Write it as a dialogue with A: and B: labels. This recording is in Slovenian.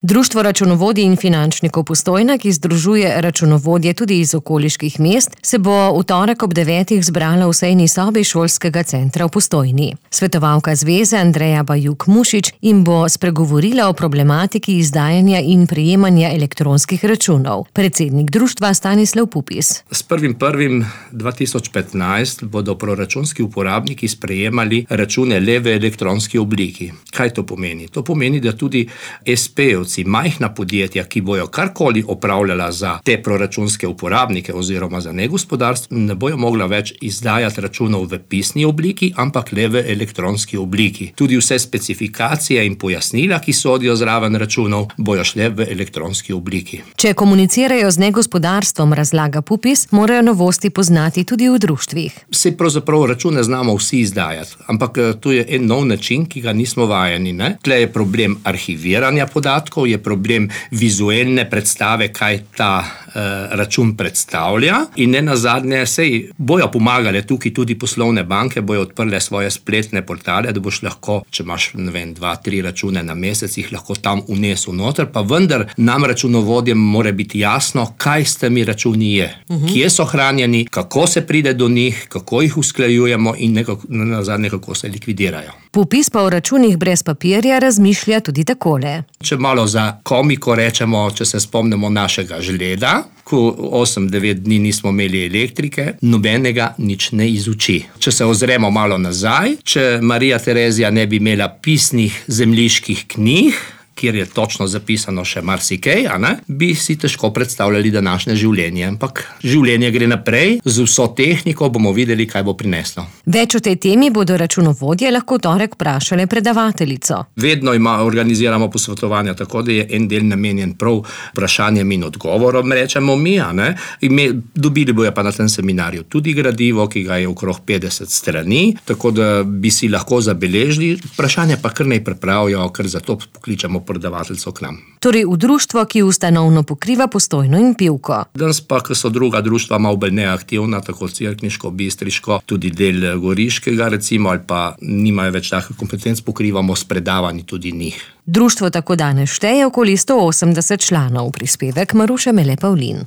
A: Društvo računovodij in finančnikov Postojna, ki združuje računovodje tudi iz okoliških mest, se bo v torek ob 9. zbrala v sejni sobi šolskega centra v Postojni. Svetovalka zveze Andreja Bajuk-Mušič jim bo spregovorila o problematiki izdajanja in prejemanja elektronskih računov. Predsednik društva Stanislav Pupis.
B: S 1.1.2015 bodo proračunski uporabniki sprejemali račune le v elektronski obliki. Kaj to pomeni? To pomeni, da tudi SP-ovci, majhna podjetja, ki bojo karkoli opravljala za te proračunske uporabnike oziroma za negospodarstvo, ne bojo mogla več izdajati računov v pisni obliki, ampak le v elektronski obliki. Tudi vse specifikacije in pojasnila, ki sodijo zraven računov, bojo šle v elektronski obliki.
A: Če komunicirajo z negospodarstvom, razlaga Pupis, morajo novosti poznati tudi v društvih.
B: Saj pravzaprav račune znamo vsi izdajati, ampak to je en nov način, ki ga nismo vajeni. Tle je problem arhiviranja podatkov, je problem vizualne predstave, kaj ta račun predstavlja, in nenazadnje sej bojo pomagale tukaj tudi poslovne banke, bojo odprle svoje spletne portale, da boš lahko, če imaš 2-3 račune na mesec, jih lahko tam vnesel noter, pa vendar nam računovodjem mora biti jasno, kaj s temi računi je, kje so hranjeni, kako se pride do njih, kako jih usklajujemo in nenazadnje kako se likvidirajo.
A: Pupis pa o računih brez papirja razmišlja tudi takole.
B: Če malo za komiko rečemo, če se spomnimo našega žleda, ko 8-9 dni nismo imeli elektrike, nobenega nič ne izuči. Če se ozremo malo nazaj, če Marija Terezija ne bi imela pisnih zemljiških knjig, kjer je točno zapisano še marsikaj, bi si težko predstavljali današnje življenje. Ampak življenje gre naprej, z vso tehniko bomo videli, kaj bo prineslo.
A: Več o tej temi bodo računovodje lahko v torek vprašali predavateljico.
B: Vedno organiziramo posvetovanja, tako da je en del namenjen prav vprašanjem in odgovorom, rečemo mi. Dobili bojo pa na tem seminarju tudi gradivo, ki ga je okrog 50 strani, tako da bi si lahko zabeležili. Vprašanje pa kar naj pripravijo, ker zato pokličemo predavateljco k nam.
A: Torej v društvo, ki ustanovno pokriva Postojno in Pivko.
B: Danes pa, ko so druga društva malo bolj neaktivna, tako cerkniško, bistriško, tudi del goriškega recimo, ali pa nimajo več takih kompetenc, pokrivamo s predavanji tudi njih.
A: Društvo tako danes šteje okoli 180 članov, prispevek Maruše Mele Pavlin.